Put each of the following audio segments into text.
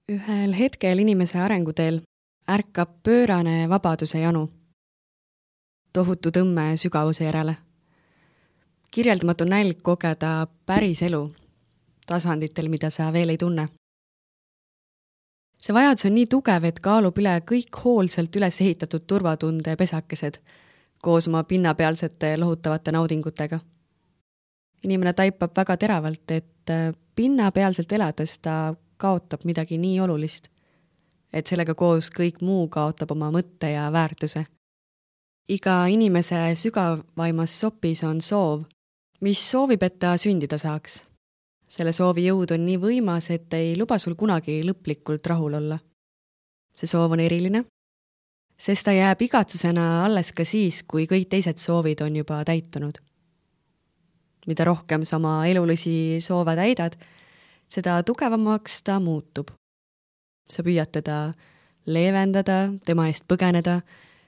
Ühel hetkel inimese arenguteel ärkab pöörane vabaduse janu. Tohutu tõmme sügavuse järele. Kirjeldamatu nälg kogeda päris elu tasanditel, mida sa veel ei tunne. See vajadus on nii tugev, et kaalub üle kõik hoolsalt üles ehitatud turvatunde pesakesed koos oma pinnapealsete lohutavate naudingutega. Inimene taipab väga teravalt, et pinnapealselt elades ta kaotab midagi nii olulist, et sellega koos kõik muu kaotab oma mõtte ja väärtuse. Iga inimese sügavaimas sopis on soov, mis soovib, et ta sündida saaks. Selle soovi jõud on nii võimas, et ei luba sul kunagi lõplikult rahul olla. See soov on eriline, sest ta jääb igatsusena alles ka siis, kui kõik teised soovid on juba täitunud. Mida rohkem sama elulisi soove täidad, seda tugevamaks ta muutub. Sa püüad teda leevendada, tema eest põgeneda,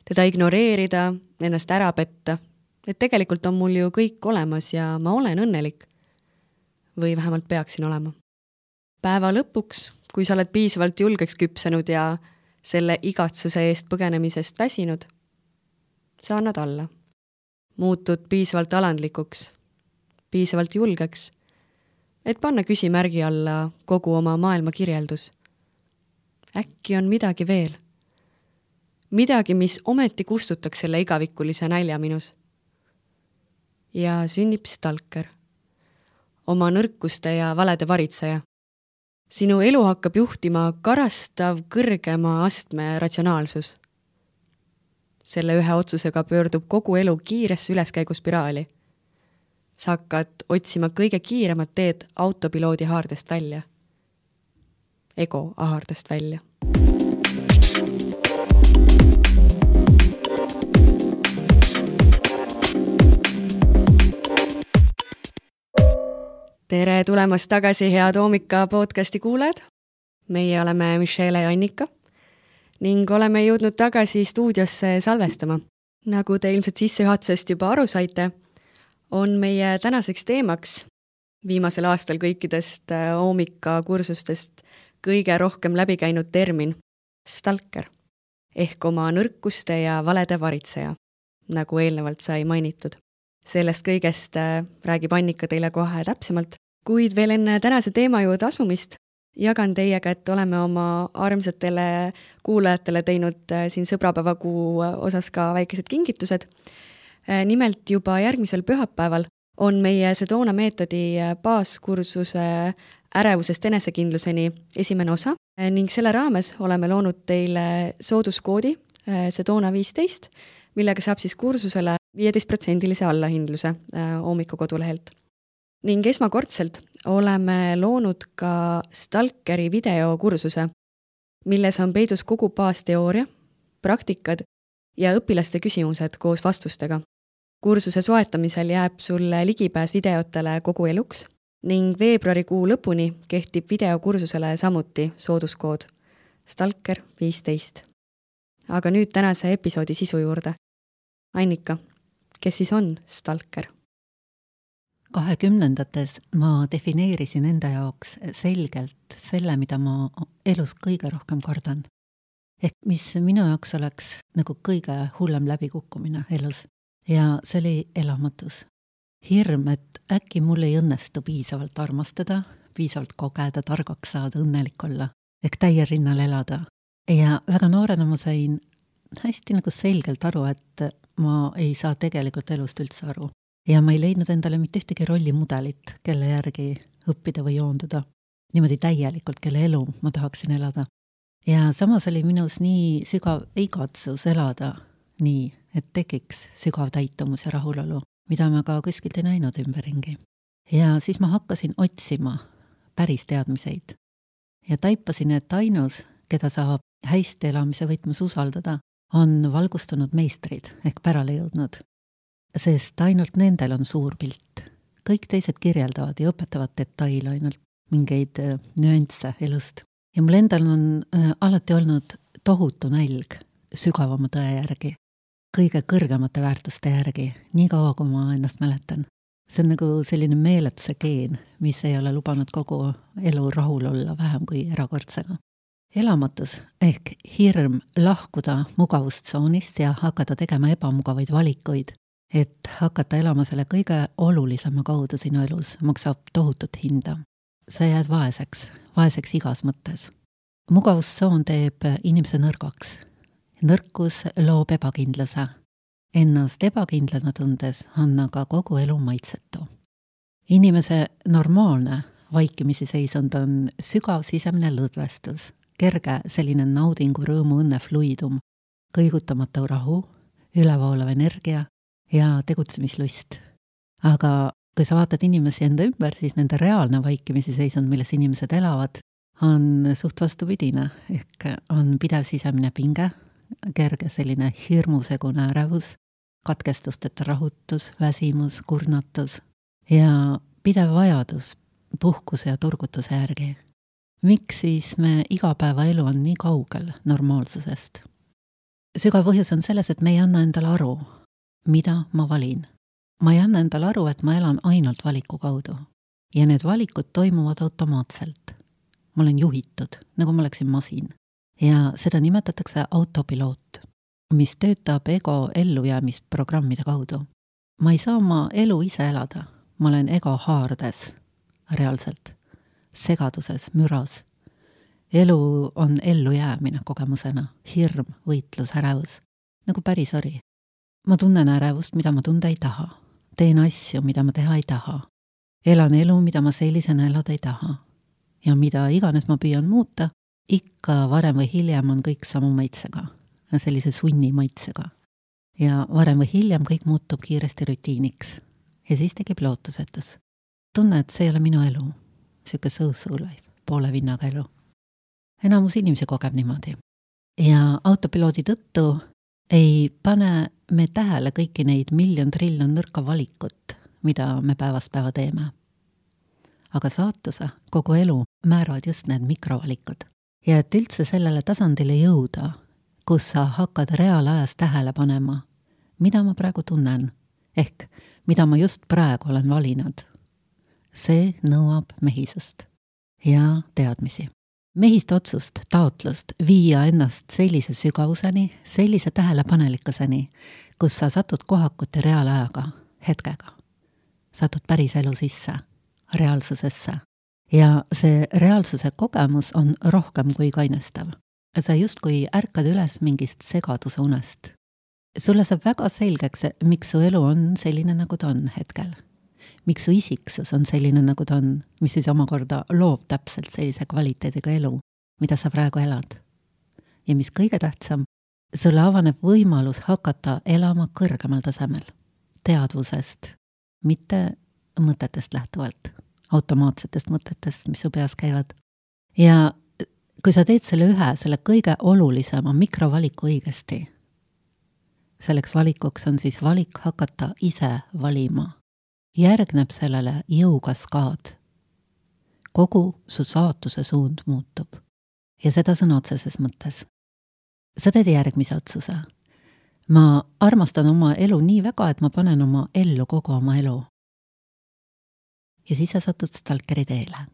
teda ignoreerida, ennast ära petta, et tegelikult on mul ju kõik olemas ja ma olen õnnelik. Või vähemalt peaksin olema. Päeva lõpuks, kui sa oled piisavalt julgeks küpsenud ja selle igatsuse eest põgenemisest väsinud, sa annad alla. Muutud piisavalt alandlikuks, piisavalt julgeks, et panna küsimärgi alla kogu oma maailma kirjeldus. Äkki on midagi veel. Midagi, mis ometi kustutaks selle igavikulise nälja minus. Ja sünnib stalker. Oma nõrkuste ja valede varitseja. Sinu elu hakkab juhtima karastav kõrgema astme ratsionaalsus. Selle ühe otsusega pöördub kogu elu kiiresse üleskäiguspiraali. Sa hakkad otsima kõige kiiremat teed autopiloodi haardest välja. Ego haardest välja. Tere tulemast tagasi, head Oomika podcasti kuulajad. Meie oleme Michelle ja Annika ning oleme jõudnud tagasi stuudiosse salvestama. Nagu te ilmselt sissejuhatusest juba aru saite, on meie tänaseks teemaks viimasel aastal kõikidest Oomika kursustest kõige rohkem läbi käinud termin stalker ehk oma nõrkuste ja valede varitseja, nagu eelnevalt sai mainitud. Sellest kõigest räägib Annika teile kohe täpsemalt, kuid veel enne tänase teema juurde asumist jagan teiega, et oleme oma armsatele kuulajatele teinud siin sõbrapäevakuu osas ka väikesed kingitused. Nimelt juba järgmisel pühapäeval on meie Sedona meetodi baaskursuse ärevusest enesekindluseni esimene osa ning selle raames oleme loonud teile sooduskoodi Sedona 15, millega saab siis kursusele 15% allahindluse Oomika kodulehelt. Ning esmakordselt oleme loonud ka stalkeri videokursuse, milles on peidus kogu baasteooria, praktikad ja õpilaste küsimused koos vastustega. Kursuse soetamisel jääb sulle ligipääs videotele kogu eluks ning veebruarikuu lõpuni kehtib videokursusele samuti sooduskood stalker 15. Aga nüüd tänase episoodi sisu juurde. Annika, kes siis on stalker? 2010ndates ma defineerisin enda jaoks selgelt selle, mida ma elus kõige rohkem kardan. Ehk mis minu jaoks oleks nagu kõige hullem läbikukkumine elus. Ja see oli elamatus. Hirm, et äkki mul ei õnnestu piisavalt armastada, piisavalt kogeda, targaks saada, õnnelik olla. Ehk täie rinnal elada. Ja väga noorena ma sain hästi nagu selgelt aru, et ma ei saa tegelikult elust üldse aru. Ja ma ei leidnud endale mitte ühtegi rollimudelit, kelle järgi õppida või joonduda. Niimoodi täielikult, kelle elu ma tahaksin elada. Ja samas oli minus nii sügav igatsus elada nii, et tekiks sügav täitumus ja rahulolu, mida ma ka kuskilt ei näinud ümberringi. Ja siis ma hakkasin otsima päris teadmiseid. Ja taipasin, et ainus, keda saab hästi elamise võtmes usaldada, on valgustunud meistrid ehk pärale jõudnud. Sest ainult nendel on suur pilt. Kõik teised kirjeldavad ja õpetavad detaile ainult mingeid nüansse elust. Ja mul endal on alati olnud tohutu nälg sügavama tõe järgi, kõige kõrgemate väärtuste järgi, nii kaua kui ma ennast mäletan. See on nagu selline meeletuse geen, mis ei ole lubanud kogu elu rahul olla vähem kui erakordsega. elamatus ehk hirm lahkuda mugavustsoonist ja hakata tegema ebamugavaid valikuid, et hakata elama selle kõige olulisema kaudu sinu elus, maksab tohutut hinda. Sa jääd vaeseks igas mõttes. Mugavustsoon teeb inimese nõrgaks. Nõrkus loob ebakindluse. Ennast ebakindlana tundes on aga kogu elu maitsetu. Inimese normaalne vaikimisi seisund on sügav sisemine lõdvestus, kerge selline naudingu, rõõmu, õnne fluidum, kõigutamatu rahu, ülevoolav energia ja tegutsemislust. Aga kui sa vaatad inimesi enda ümber, siis nende reaalne vaikimisi seisund, milles inimesed elavad, on suht vastupidine, ehk on pidev sisemine pinge, kerge selline hirmusegune ärevus, katkestusteta rahutus, väsimus, kurnatus ja pidev vajadus puhkuse ja turgutuse järgi. Miks siis me igapäevaelu on nii kaugel normaalsusest? Sügav põhjus on selles, et me ei anna endale aru, mida ma valin. Ma ei anna endale aru, et ma elan ainult valiku kaudu. Ja need valikud toimuvad automaatselt. Ma olen juhitud, nagu ma oleksin masin. Ja seda nimetatakse autopiloot, mis töötab ego ellujäämisprogrammide kaudu. Ma ei saa oma elu ise elada. Ma olen ego haardes, reaalselt, segaduses, müras. Elu on ellujäämine kogemusena, hirm, võitlus, ärevus, nagu päris ori. Ma tunnen ärevust, mida ma tunda ei taha. Teen asju, mida ma teha ei taha. Elan elu, mida ma sellisena elada ei taha. Ja mida iganes ma püüan muuta, ikka varem või hiljem on kõik samu maitsega, sellise sunni maitsega. Ja varem või hiljem kõik muutub kiiresti rutiiniks. Ja siis tekib lootusetus. Tunne, et see ei ole minu elu. Siuke so-so life, poole vinnaga elu. Enamus inimesi kogeb niimoodi. Ja autopiloodi tõttu ei pane me tähele kõiki neid miljon-triljon nõrka valikut, mida me päevast päeva teeme. Aga saatuse, kogu elu määravad just need mikrovalikud. Ja et üldse sellele tasandile jõuda, kus sa hakkad reaalajas tähele panema, mida ma praegu tunnen, ehk mida ma just praegu olen valinud. See nõuab mehisust ja teadmisi. Mehist otsust, taotlust viia ennast sellise sügavuseni, sellise tähelepanelikkuseni, kus sa satud kohakute reaalajaga, hetkega. Satud päris elu sisse, reaalsusesse. Ja see reaalsuse kogemus on rohkem kui kainestav. Sa justkui ärkad üles mingist segaduse unest. Sulle saab väga selgeks, miks su elu on selline, nagu ta on hetkel. Miks su isiksus on selline, nagu ta on, mis siis omakorda loob täpselt sellise kvaliteediga elu, mida sa praegu elad. Ja mis kõige tähtsam, sulle avaneb võimalus hakata elama kõrgemal tasemel, teadvusest, mitte mõtetest lähtuvalt, automaatsetest mõtetest, mis su peas käivad. Ja kui sa teed selle kõige olulisema mikrovaliku õigesti, selleks valikuks on siis valik hakata ise valima. Järgneb sellele jõukaskaad. Kogu su saatuse suund muutub. Ja seda sõna otseses mõttes. Sa teed järgmise otsuse. Ma armastan oma elu nii väga, et ma panen oma ellu kogu oma elu. Ja siis sa satud stalkeri teele.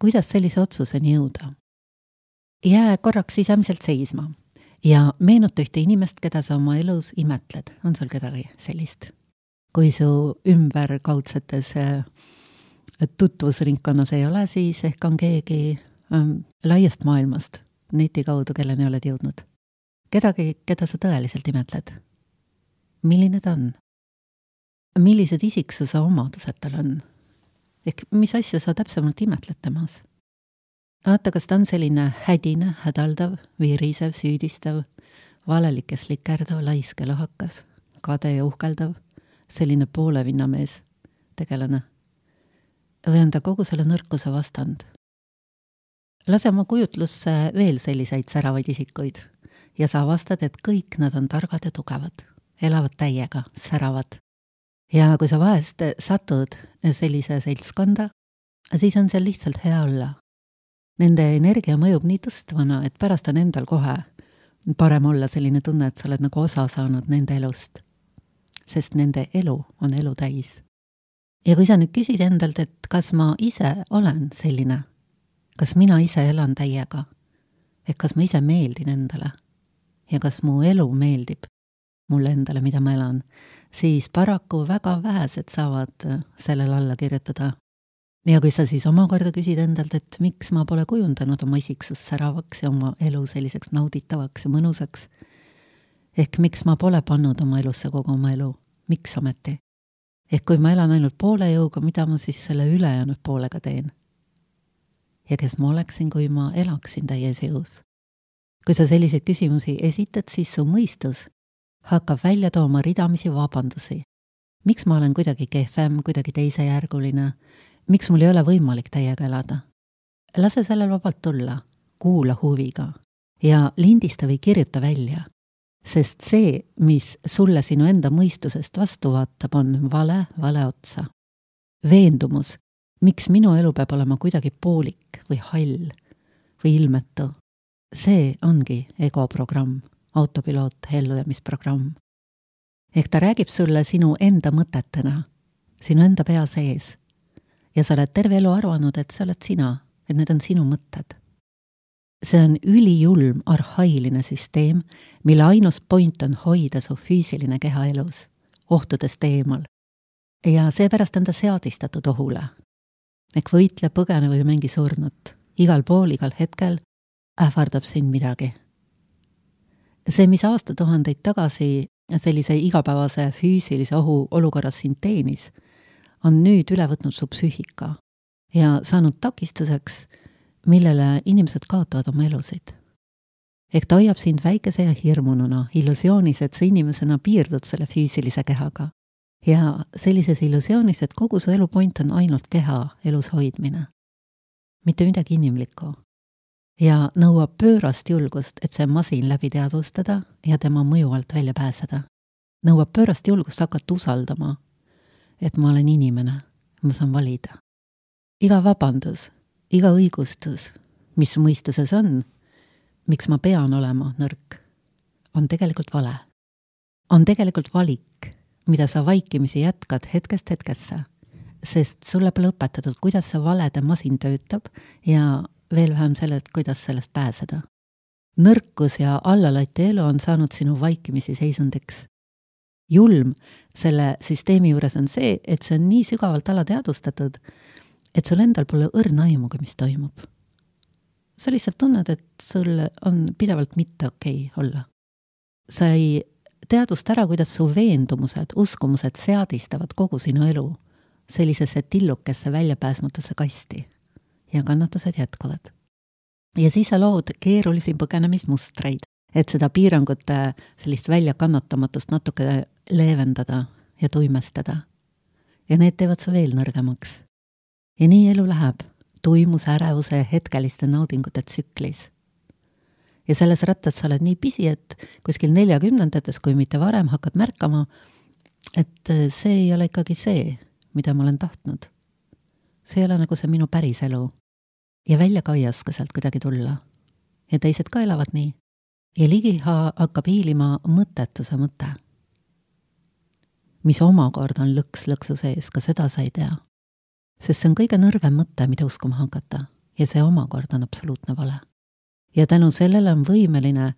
Kuidas sellise otsuseni jõuda? Jää korraks sisemiselt seisma ja meenuta ühte inimest, keda sa oma elus imetled. On sul kedagi sellist? Kui su ümberkaudsetes tutvusringkonnas ei ole, siis ehk on keegi laiast maailmast, neti kaudu, kelleni oled jõudnud. Kedagi, keda sa tõeliselt imetled? Milline ta on? Millised isiksuse omadused tal on? Ehk mis asja sa täpsemalt imetled temas? Vaata, kas ta on selline hädine, hädaldav, virisev, süüdistav, valelikes likerdav, laiske lohakas, kade ja uhkeldav, selline poole vinnamees, tegelane. Või on ta kogu selle nõrkuse vastand? Lase oma kujutlusse veel selliseid säravaid isikuid ja sa avastad, et kõik nad on targad ja tugevad, elavad täiega, säravad. Ja kui sa vahest satud sellise seltskonda, siis on seal lihtsalt hea olla. Nende energia mõjub nii tõstvana, et pärast on endal kohe parem olla selline tunne, et sa oled nagu osa saanud nende elust. Sest nende elu on elu täis. Ja kui sa nüüd küsid endalt, et kas ma ise olen selline, kas mina ise elan täiega, et kas ma ise meeldin endale ja kas mu elu meeldib mulle endale, mida ma elan, siis paraku väga vähesed saavad sellele alla kirjutada. Ja kui sa siis omakorda küsid endalt, et miks ma pole kujundanud oma isiksust säravaks ja oma elu selliseks nauditavaks ja mõnusaks, ehk miks ma pole pannud oma elusse kogu oma elu, miks ometi? Ehk kui ma elan ainult poole jõuga, mida ma siis selle ülejäänud poolega teen? Ja kes ma oleksin, kui ma elaksin täies jõus? Kui sa selliseid küsimusi esitad, siis su mõistus hakkab välja tooma ridamisi vabandusi. Miks ma olen kuidagi kehvem, kuidagi teisejärguline? Miks mul ei ole võimalik täiega elada? Lase sellel vabalt tulla, kuula huviga ja lindista või kirjuta välja. Sest see, mis sulle sinu enda mõistusest vastu vaatab, on vale otsa. Veendumus, miks minu elu peab olema kuidagi poolik või hall või ilmetu. See ongi egoprogramm, autopiloot, ellujäämisprogramm. Ehk ta räägib sulle sinu enda mõtetena, sinu enda pea sees. Ja sa oled terve elu arvanud, et sa oled sina, et need on sinu mõtted. See on ülijulm, arhailine süsteem, mille ainus point on hoida su füüsiline keha elus, ohtudest eemal. Ja seepärast on ta seadistatud ohule. Ehk võitle, põgene või mängi surnut. Igal pool, igal hetkel ähvardab sind midagi. See, mis aastatuhandeid tagasi sellise igapäevase füüsilise ohu olukorras sind teenis, on nüüd üle võtnud su psüühika ja saanud takistuseks, millele inimesed kaotavad oma elusid. Ehk ta hoiab sind väikese ja hirmununa, illusioonis, et sa inimesena piirdud selle füüsilise kehaga. Ja sellises illusioonis, et kogu su elupoint on ainult keha elus hoidmine. Mitte midagi inimlikku. Ja nõuab pöörast julgust, et see masin läbi teadvustada ja tema mõju alt välja pääseda. Nõuab pöörast julgust hakata usaldama, et ma olen inimene, ma saan valida. Iga vabandus, iga õigustus, mis mõistuses on, miks ma pean olema nõrk, on tegelikult vale. On tegelikult valik, mida sa vaikimisi jätkad hetkest hetkesse, sest sulle pole õpetatud, kuidas see valede masin töötab ja veel vähem sellest, kuidas sellest pääseda. Nõrkus ja allalati elu on saanud sinu vaikimisi seisundeks. Julm selle süsteemi juures on see, et see on nii sügavalt alateadvustatud, et sul endal pole õrna aimuga, mis toimub. Sa lihtsalt tunned, et sul on pidevalt mitte okei olla. Sa ei teadvusta ära, kuidas su veendumused, uskumused seadistavad kogu sinu elu sellisesse tillukesse väljapääsmatusse kasti ja kannatused jätkuvad. Ja siis sa lood keerulisi põgenemismustreid, et seda piirangute sellist väljakannatamatust natuke leevendada ja tuimestada. Ja need teevad su veel nõrgemaks. Ja nii elu läheb tuimuse, ärevuse ja hetkeliste naudingute tsüklis. Ja selles rattas sa oled nii pisi, et kuskil 40-ndates, kui mitte varem, hakkad märkama, et see ei ole ikkagi see, mida ma olen tahtnud. See ei ole nagu see minu päris elu. Ja välja ka ei oska sealt kuidagi tulla. Ja teised ka elavad nii. Ja ligiha hakkab hiilima mõttetuse mõte, mis omakorda on lõksu sees, ka seda sa ei tea. Sest see on kõige nõrgem mõte, mida uskuma hakata, ja see omakorda on absoluutne vale. Ja tänu sellele on võimeline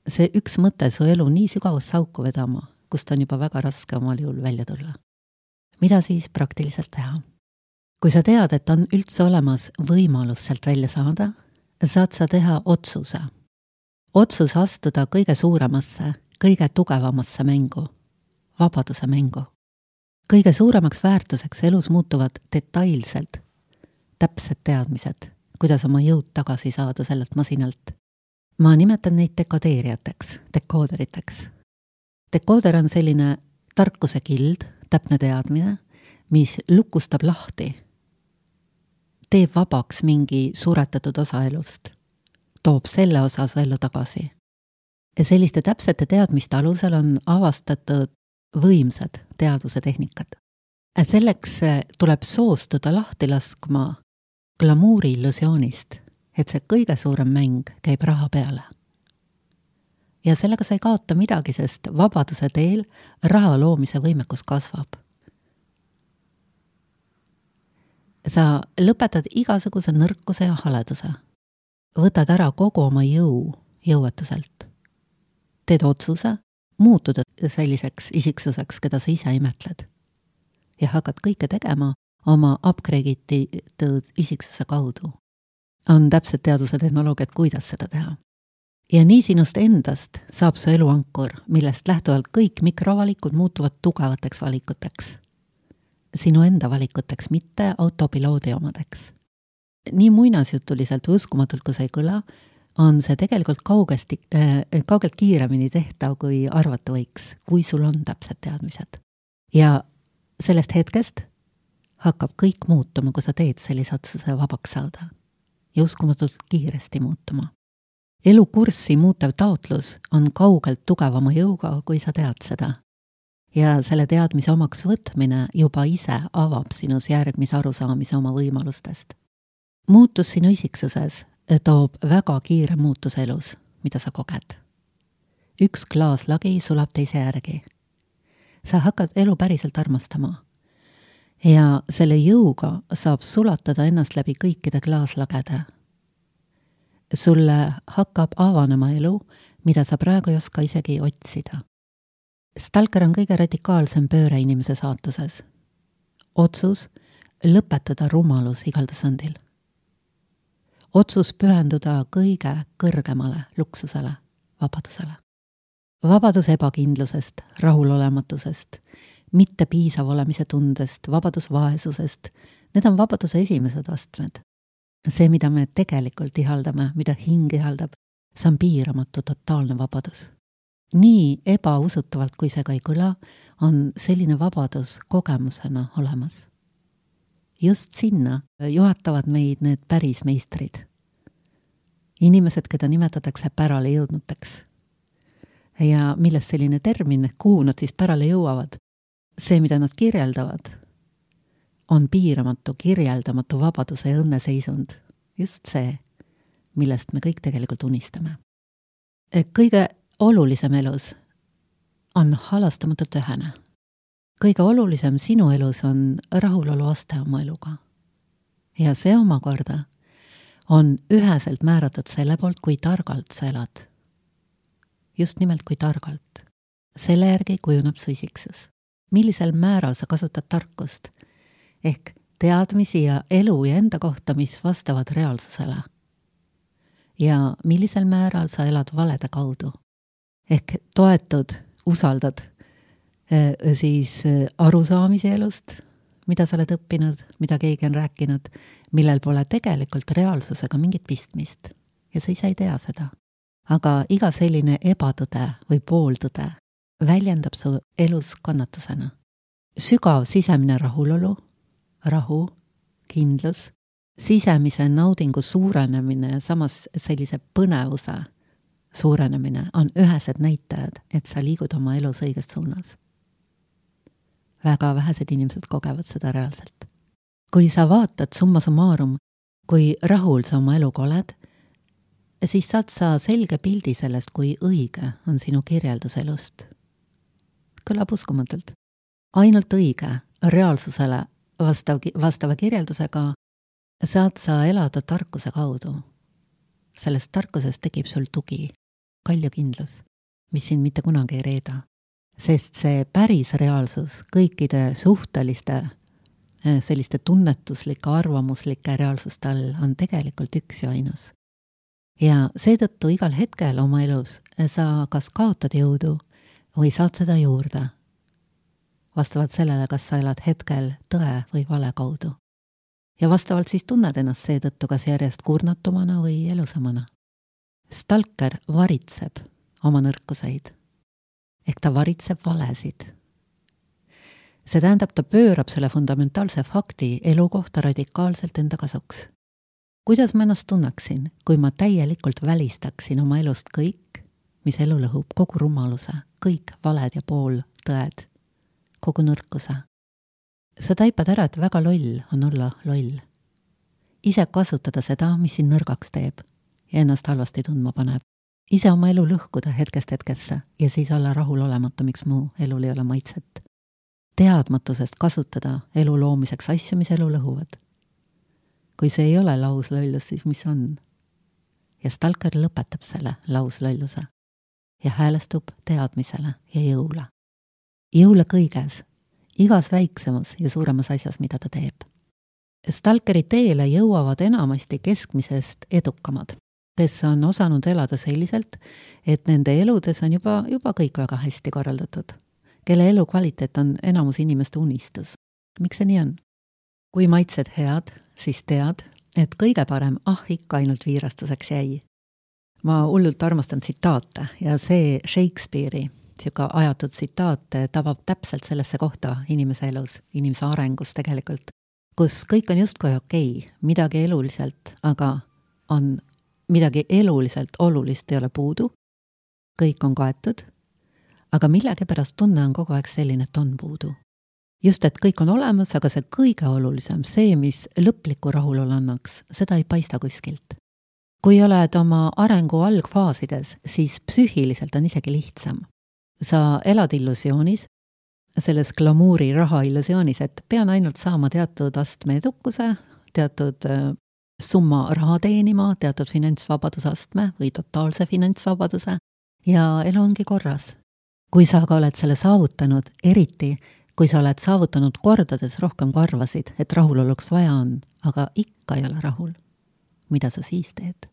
see üks mõte su elu nii sügavust sauku vedama, kust on juba väga raske omal juhul välja tulla. Mida siis praktiliselt teha? Kui sa tead, et on üldse olemas võimalus sealt välja saada, saad sa teha otsuse. Otsus astuda kõige suuremasse, kõige tugevamasse mängu, vabaduse mängu. Kõige suuremaks väärtuseks elus muutuvad detailselt täpsed teadmised, kuidas oma jõud tagasi saada sellelt masinalt. Ma nimetan neid dekodeerijateks, dekooderiteks. Dekooder on selline tarkuse kild, täpne teadmine, mis lukustab lahti, teeb vabaks mingi suretatud osa elust, toob selle osa su ellu tagasi. Ja selliste täpsete teadmiste alusel on avastatud võimsad teaduse tehnikad. Selleks tuleb soostuda lahti laskma glamuuri illusioonist, et see kõige suurem mäng käib raha peale. Ja sellega sa ei kaota midagi, sest vabaduse teel raha loomise võimekus kasvab. Sa lõpetad igasuguse nõrkuse ja haleduse. Võtad ära kogu oma jõuetuselt. Teed otsuse muutuda selliseks isiksuseks, keda sa ise imetled. Ja hakkad kõike tegema oma upgrade'itud isiksuse kaudu. On täpsed teaduse tehnoloogiad, kuidas seda teha. Ja nii sinust endast saab su eluankur, millest lähtuvalt kõik mikrovalikud muutuvad tugevateks valikuteks. Sinu enda valikuteks, mitte autopiloodi omadeks. Nii muinasjutuliselt või uskumatult, kui see ei kõla, on see tegelikult kaugelt kiiremini tehtav, kui arvata võiks, kui sul on täpsed teadmised. Ja sellest hetkest hakkab kõik muutuma, kui sa teed sellise otsuse vabaks saada. Ja uskumatult kiiresti muutuma. Elukurssi muutev taotlus on kaugelt tugevama jõuga, kui sa tead seda. Ja selle teadmise omaks võtmine juba ise avab sinus järgmise arusaamise oma võimalustest. Muutus sinu isiksuses toob väga kiire muutus elus, mida sa koged. Üks klaaslagi sulab teise järgi. Sa hakkad elu päriselt armastama. Ja selle jõuga saab sulatada ennast läbi kõikide klaaslagede. Sulle hakkab avanema elu, mida sa praegu ei oska isegi otsida. Stalker on kõige radikaalsem pööre inimese saatuses. Otsus lõpetada rumalus igal tasandil. Otsus pühenduda kõige kõrgemale luksusele, vabadusele. Vabadus ebakindlusest, rahulolematusest, mitte piisav olemise tundest, vabadus vaesusest. Need on vabaduse esimesed astmed. See, mida me tegelikult ihaldame, mida hing ihaldab, see on piiramatu totaalne vabadus. Nii ebausutavalt, kui see ka ei kõla, on selline vabadus kogemusena olemas. Just sinna juhatavad meid need päris meistrid. Inimesed, keda nimetatakse pärale jõudnuteks. Ja millest selline termin, kuhu nad siis pärale jõuavad? See, mida nad kirjeldavad, on piiramatu, kirjeldamatu vabaduse ja õnneseisund. Just see, millest me kõik tegelikult unistame. Kõige olulisem elus on halastamatult ühene. Kõige olulisem sinu elus on rahulolu aste oma eluga. Ja see omakorda on üheselt määratud selle poolt, kui targalt sa elad. Just nimelt kui targalt. Selle järgi kujuneb su isiksus. Millisel määral sa kasutad tarkust? Ehk teadmisi ja elu ja enda kohta, mis vastavad reaalsusele. Ja millisel määral sa elad valede kaudu. Ehk toetud, usaldad siis arusaamise elust, mida sa oled õppinud, mida keegi on rääkinud, millel pole tegelikult reaalsusega mingit pistmist. Ja sa ise ei tea seda. Aga iga selline ebatõde või pooltõde väljendab su elus kannatusena. Sügav sisemine rahulolu, rahu, kindlus, sisemise naudingu suurenemine ja samas sellise põnevuse suurenemine on ühesed näitajad, et sa liigud oma elus õiges suunas. Väga vähesed inimesed kogevad seda reaalselt. Kui sa vaatad summa summarum, kui rahul sa oma eluga oled, siis saad sa selge pildi sellest, kui õige on sinu kirjeldus elust. Kõlab uskumatult. Ainult õige, reaalsusele vastava kirjeldusega saad sa elada tarkuse kaudu. Sellest tarkusest tekib sul tugi, kaljukindlus, mis sind mitte kunagi ei reeda. Sest see päris reaalsus kõikide suhteliste, selliste tunnetuslike, arvamuslike reaalsuste all on tegelikult üks ja ainus. Ja seetõttu igal hetkel oma elus sa kas kaotad jõudu või saad seda juurde. Vastavalt sellele, kas sa elad hetkel tõe või vale kaudu. Ja vastavalt siis tunned ennast seetõttu kas järjest kurnatumana või elusamana. Stalker varitseb oma nõrkuseid. Ehk ta varitseb valesid. See tähendab, ta pöörab selle fundamentaalse fakti elu kohta radikaalselt enda kasuks. Kuidas ma ennast tunneksin, kui ma täielikult välistaksin oma elust kõik, mis elu lõhub, kogu rumaluse, kõik valed ja pool tõed, kogu nõrkuse. Sa taipad ära, et väga loll on olla loll. Ise kasutada seda, mis sind nõrgaks teeb ja ennast halvasti tundma paneb. Ise oma elu lõhkuda hetkest hetkesse ja siis olla rahul olemata, miks mu elul ei ole maitset. Teadmatusest kasutada elu loomiseks asju, mis elu lõhuvad. kui see ei ole lauslollus, siis mis on? Ja stalker lõpetab selle lauslolluse ja häälestub teadmisele ja jõule. Jõule kõiges, igas väiksemas ja suuremas asjas, mida ta teeb. Stalkeri teele jõuavad enamasti keskmisest edukamad, kes on osanud elada selliselt, et nende eludes on juba kõik väga hästi korraldatud, kelle elukvaliteet on enamus inimeste unistus. Miks see nii on? Kui maitsed head, siis tead, et kõige parem ikka ainult viirastuseks jäi. Ma hullult armastan tsitaate ja see Shakespeare'i siuke ajatud tsitaat tabab täpselt sellesse kohta inimese elus, inimese arengus tegelikult, kus kõik on justkui okei, midagi eluliselt, aga on midagi eluliselt olulist ei ole puudu, kõik on kaetud, aga millegipärast tunne on kogu aeg selline, et on puudu. Just, et kõik on olemas, aga see kõige olulisem, see, mis lõpliku rahulolu annaks, seda ei paista kuskilt. Kui oled oma arengu algfaasides, siis psüühiliselt on isegi lihtsam. Sa elad illusioonis, selles glamuuri raha illusioonis, et pean ainult saama teatud astme edukuse, teatud summa raha teenima, teatud finantsvabadusastme või totaalse finantsvabaduse ja elu ongi korras. Kui sa aga oled selle saavutanud, eriti kui sa oled saavutanud kordades rohkem kui arvasid, et rahuloluks vaja on, aga ikka ei ole rahul, mida sa siis teed?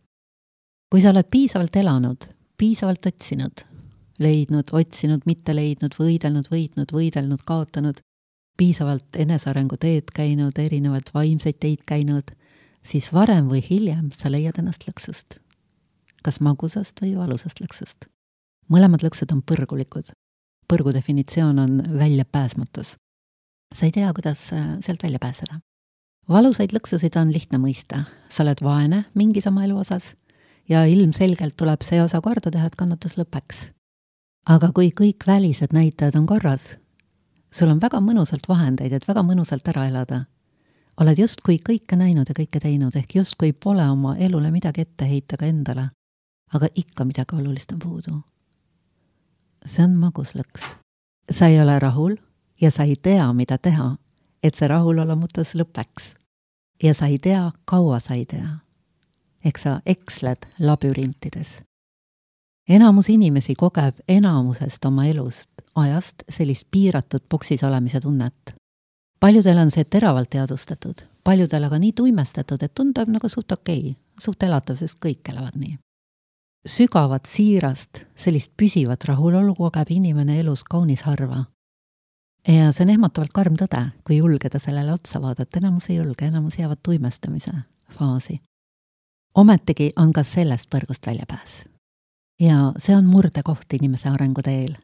Kui sa oled piisavalt elanud, piisavalt otsinud, leidnud, otsinud, mitte leidnud, võidelnud, kaotanud, piisavalt enesearengu teed käinud, erinevad vaimseid teid käinud, siis varem või hiljem sa leiad ennast lõksust. Kas magusast või valusast lõksust. Mõlemad lõksud on põrgulikud. Põrgu definitsioon on väljapääsmatus. Sa ei tea, kuidas sealt välja pääseda. Valusaid lõksusid on lihtne mõista. Sa oled vaene mingis oma elu osas ja ilmselgelt tuleb see osa korda teha, et kannatus lõpeks. Aga kui kõik välised näitajad on korras, sul on väga mõnusalt vahendeid, et väga mõnusalt ära elada. Oled justkui kõike näinud ja kõike teinud, ehk justkui pole oma elule midagi ette heita ka endale, aga ikka midagi olulist on puudu. See on maguslõks. Sa ei ole rahul ja sa ei tea, mida teha, et see rahulolomutus lõpeks. Ja sa ei tea, kaua sa ei tea. Ehk sa eksled labürintides. Enamus inimesi kogeb enamusest oma elust, ajast sellist piiratud boksis olemise tunnet. Paljudel on see teravalt teadvustatud, paljudel aga nii tuimestatud, et tundub nagu suht okei, suht elatav, sest kõik elavad nii. Sügavat siirast, sellist püsivat rahulolu kogeb inimene elus kaunis harva. Ja see on ehmatavalt karm tõde, kui julgeda sellele otsa vaadata, enamus ei julge, enamus jäävad tuimestamise faasi. Ometigi on ka sellest põrgust väljapääs. Ja see on murdekoht inimese arenguteel,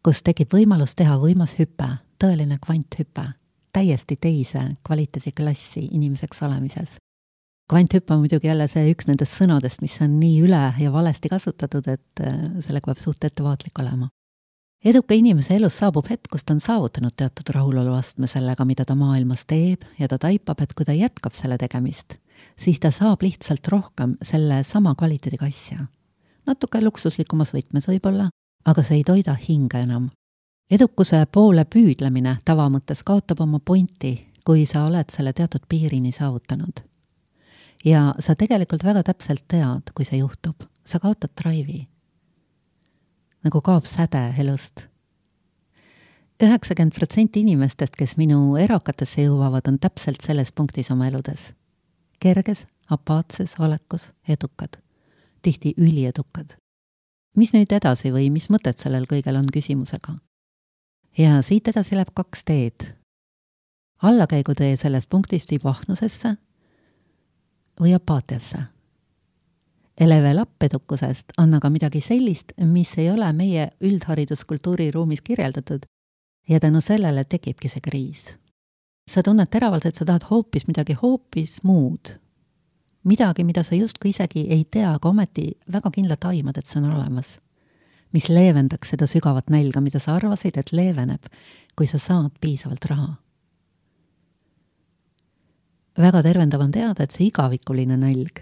kus tekib võimalus teha võimas hüpe, tõeline kvanthüpe, täiesti teise kvaliteediklassi inimeseks olemises. Kvanthüpe on muidugi jälle see üks nendest sõnadest, mis on nii üle ja valesti kasutatud, et sellega peab suht ettevaatlik olema. Eduka inimese elus saabub hetk, kus ta on saavutanud teatud rahuloluastme sellega, mida ta maailmas teeb ja ta taipab, et kui ta jätkab selle tegemist, siis ta saab lihtsalt rohkem selle sama kvaliteediga asja. Natuke luksuslikumas võtmes võib-olla, aga see ei toida hinge enam. Edukuse poole püüdlemine tavamõttes kaotab oma pointi, kui sa oled selle teatud piirini saavutanud. Ja sa tegelikult väga täpselt tead, kui see juhtub. Sa kaotad drive'i. Nagu kaob säde elust. 90% inimestest, kes minu erakatesse jõuavad, on täpselt selles punktis oma eludes. Kerges, apaatses olekus, edukad. Tihti üliedukad. Mis nüüd edasi või mis mõtet sellel kõigel on küsimusega? Ja siit edasi läheb 2 teed. Allakäigutee selles punktis viib ahnusesse või apaatiasse. Level up edukusest on aga midagi sellist, mis ei ole meie üldhariduskultuuri ruumis kirjeldatud ja tänu sellele tekibki see kriis. Sa tunned teravalt, et sa tahad hoopis midagi hoopis muud. Midagi, mida sa justkui isegi ei tea, aga ometi väga kindlalt aimad, et see on olemas. Mis leevendaks seda sügavat nälga, mida sa arvasid, et leeveneb, kui sa saad piisavalt raha. Väga tervendav on teada, et see igavikuline nälg,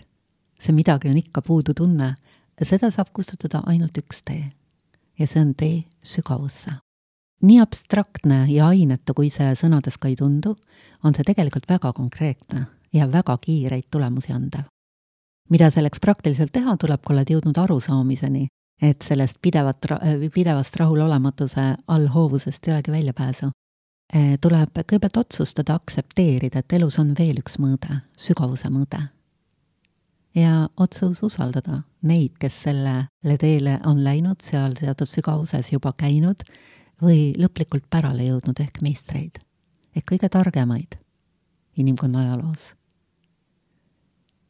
see midagi on ikka puudu tunne, seda saab kustutada ainult üks tee. Ja see on tee sügavusse. Nii abstraktne ja ainetu, kui see sõnades ka ei tundu, on see tegelikult väga konkreetne ja väga kiireid tulemusi andev. Mida selleks praktiliselt teha tuleb, kui oled jõudnud arusaamiseni, et sellest pidevast rahulolematuse allhoovusest ei olegi väljapääsu. Tuleb kõigepealt otsustada, aktsepteerida, et elus on veel üks mõõde, sügavuse mõõde. Ja otsus usaldada neid, kes sellele teele on läinud, seal teatud sügavuses juba käinud või lõplikult pärale jõudnud ehk meistreid, ehk kõige targemaid inimkonna ajaloos.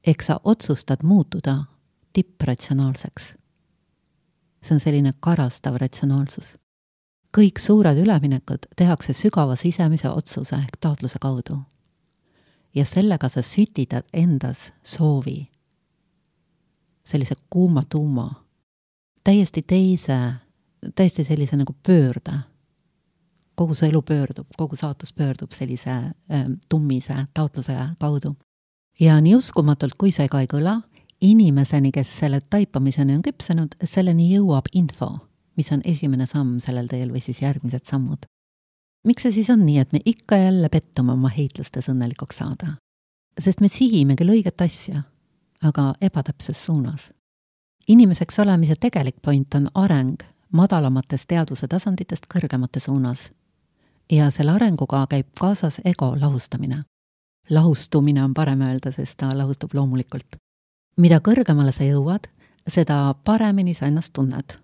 Ehk sa otsustad muutuda tippratsionaalseks. See on selline karastav ratsionaalsus. Kõik suured üleminekud tehakse sügava sisemise otsuse ehk taotluse kaudu. Ja sellega sa sütidad endas soovi. Sellise kuuma tuuma. Täiesti sellise nagu pöörde. Kogu su elu pöördub, kogu saatus pöördub sellise tummise taotluse kaudu. Ja nii uskumatult, kui see ka ei kõla, inimeseni, kes selle taipamiseni on küpsenud, selleni jõuab info, mis on esimene samm sellel teel või siis järgmised sammud. Miks see siis on nii, et me ikka jälle pettume oma heitlustes õnnelikuks saada? Sest me sihime küll õiget asja, aga ebatäpses suunas. Inimeseks olemise tegelik point on areng madalamatest teadvuse tasanditest kõrgemate suunas. Ja selle arenguga käib kaasas ego lahustamine. Lahustumine on parem öelda, sest ta lahustub loomulikult. Mida kõrgemale sa jõuad, seda paremini sa ennast tunned.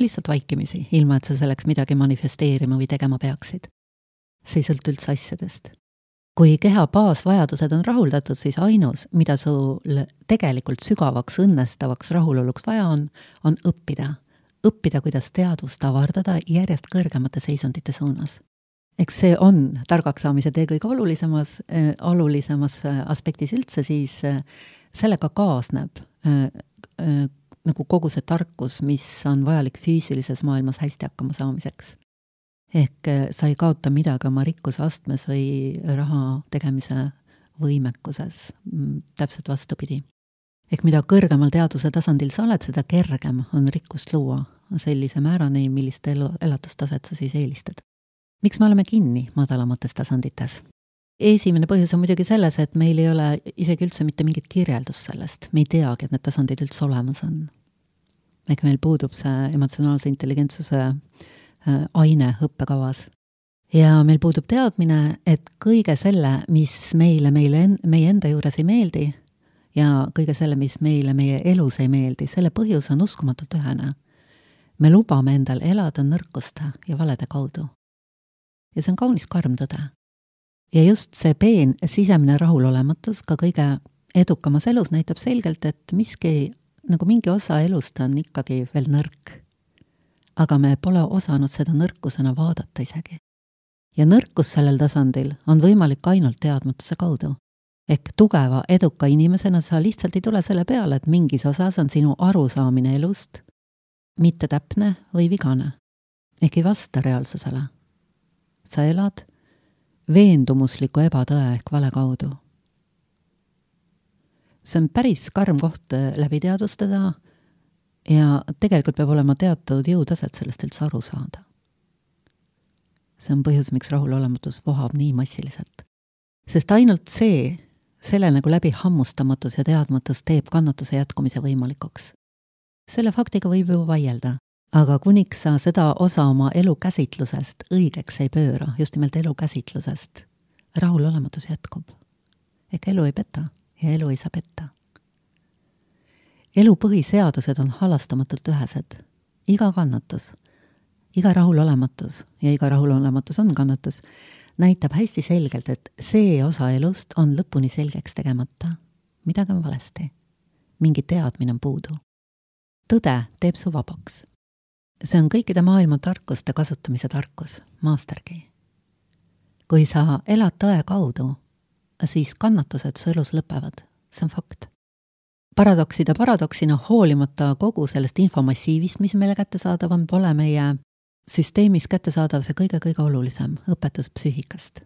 Lihtsalt vaikimisi, ilma et sa selleks midagi manifesteerima või tegema peaksid. See ei sõltu üldse asjadest. Kui keha baasvajadused on rahuldatud, siis ainus, mida sul tegelikult sügavaks, õnnestavaks rahuloluks vaja on õppida. Õppida, kuidas teadvust avardada järjest kõrgemate seisundite suunas. Eks see on targaks saamise tee kõige olulisemas aspektis üldse, siis sellega kaasneb nagu kogu see tarkus, mis on vajalik füüsilises maailmas hästi hakkama saamiseks. Ehk sa ei kaota midagi oma rikkuse astmes või raha tegemise võimekuses, täpselt vastupidi. Ehk mida kõrgemal teadvuse tasandil sa oled, seda kergem on rikkust luua sellise määrani, millist elatustaset sa siis eelistad. Miks me oleme kinni madalamates tasandites? Esimene põhjus on muidugi selles, et meil ei ole isegi üldse mitte mingit kirjeldust sellest. Me ei teagi, et need tasandid üldse olemas on. Ehk meil puudub see emotsionaalse intelligentsuse aine õppekavas. Ja meil puudub teadmine, et kõige selle, mis meie enda juures ei meeldi ja kõige selle, mis meile meie elus ei meeldi, selle põhjus on uskumatult ühene. Me lubame endal elada nõrkuste ja valede kaudu. Ja see on kaunis karm tõde. Ja just see peen sisemine rahulolematus ka kõige edukamas elus näitab selgelt, et mingi osa elust on ikkagi veel nõrk. Aga me pole osanud seda nõrkusena vaadata isegi. Ja nõrkus sellel tasandil on võimalik ainult teadmatuse kaudu. Ehk tugeva, eduka inimesena sa lihtsalt ei tule selle peale, et mingis osas on sinu arusaamine elust mitte täpne või vigane. Ehk ei vasta reaalsusele. Sa elad veendumusliku ebatõe ehk vale kaudu. See on päris karm koht läbi teadvustada ja tegelikult peab olema teatud jõutaset sellest üldse aru saada. See on põhjus, miks rahulolematus vohab nii massiliselt. Sest ainult selle nagu läbi hammustamatus ja teadmatus teeb kannatuse jätkumise võimalikuks. Selle faktiga võib ju vaielda. Aga kuniks sa seda osa oma elukäsitlusest õigeks ei pööra, just nimelt elukäsitlusest, rahulolematus jätkub. Ehk elu ei peta ja elu ei saa petta. Elu põhiseadused on halastamatult ühesed. Iga kannatus, iga rahulolematus ja iga rahulolematus on kannatus, näitab hästi selgelt, et see osa elust on lõpuni selgeks tegemata. Midagi on valesti. Mingi teadmine on puudu. Tõde teeb su vabaks. See on kõikide maailma tarkuste kasutamise tarkus, mastergi. Kui sa elad tõe kaudu, siis kannatused su elus lõpevad. See on fakt. Paradoksina hoolimata kogu sellest infomassiivist, mis meile kättesaadav on, pole meie süsteemis kättesaadav see kõige olulisem õpetus psüühikast.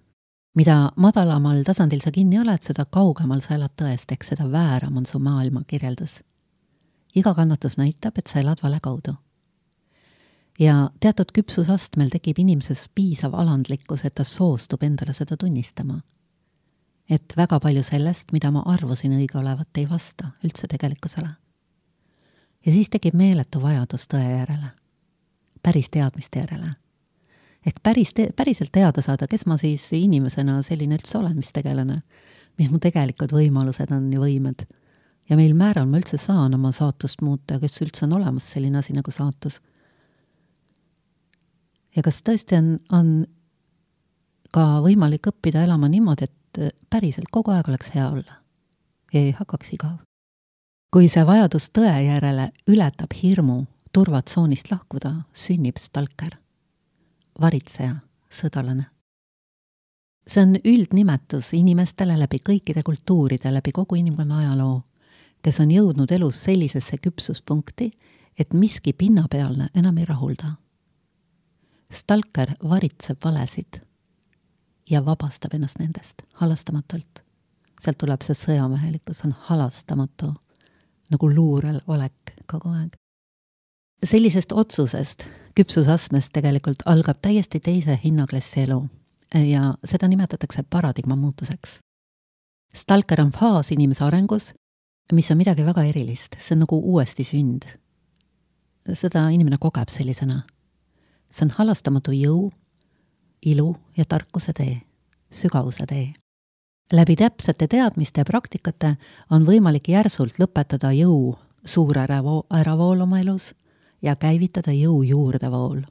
Mida madalamal tasandil sa kinni oled, seda kaugemal sa elad tõest, ehk seda vääram on su maailma kirjeldus. Iga kannatus näitab, et sa elad vale kaudu. Ja teatud küpsusastmel tekib inimeses piisav alandlikkus, et ta soostub endale seda tunnistama. et väga palju sellest, mida ma arvasin õige olevat, ei vasta üldse tegelikkusele. Ja siis tekib meeletu vajadus tõe järele, päris teadmiste järele. Ehk päriselt teada saada, kes ma siis inimesena selline üldse olen, mis tegelane, mis mu tegelikud võimalused on ja võimed. Ja meil määral ma üldse saan oma saatust muuta, kes üldse on olemas selline asi nagu saatus. Ja kas tõesti on ka võimalik õppida elama niimoodi, et päriselt kogu aeg oleks hea olla ja ei hakkaks igav. Kui see vajadus tõe järele ületab hirmu turvatsoonist lahkuda, sünnib stalker, varitseja, sõdalane. See on üldnimetus inimestele läbi kõikide kultuuride, läbi kogu inimkonna ajaloo, kes on jõudnud elus sellisesse küpsuspunkti, et miski pinnapealne enam ei rahulda. Stalker varitseb valesid ja vabastab ennast nendest halastamatult. Sealt tuleb see sõjamehelikkus, on halastamatu, nagu luurel olek kogu aeg. Sellisest otsusest, küpsusastmest tegelikult algab täiesti teise hinnaklassi elu ja seda nimetatakse paradigma muutuseks. Stalker on faas inimese arengus, mis on midagi väga erilist, see on nagu uuesti sünd. Seda inimene kogeb sellisena. See on halastamatu jõu, ilu ja tarkuse tee, sügavuse tee. Läbi täpsete teadmiste ja praktikate on võimalik järsult lõpetada jõu suur äravool oma elus ja käivitada jõu juurdevool.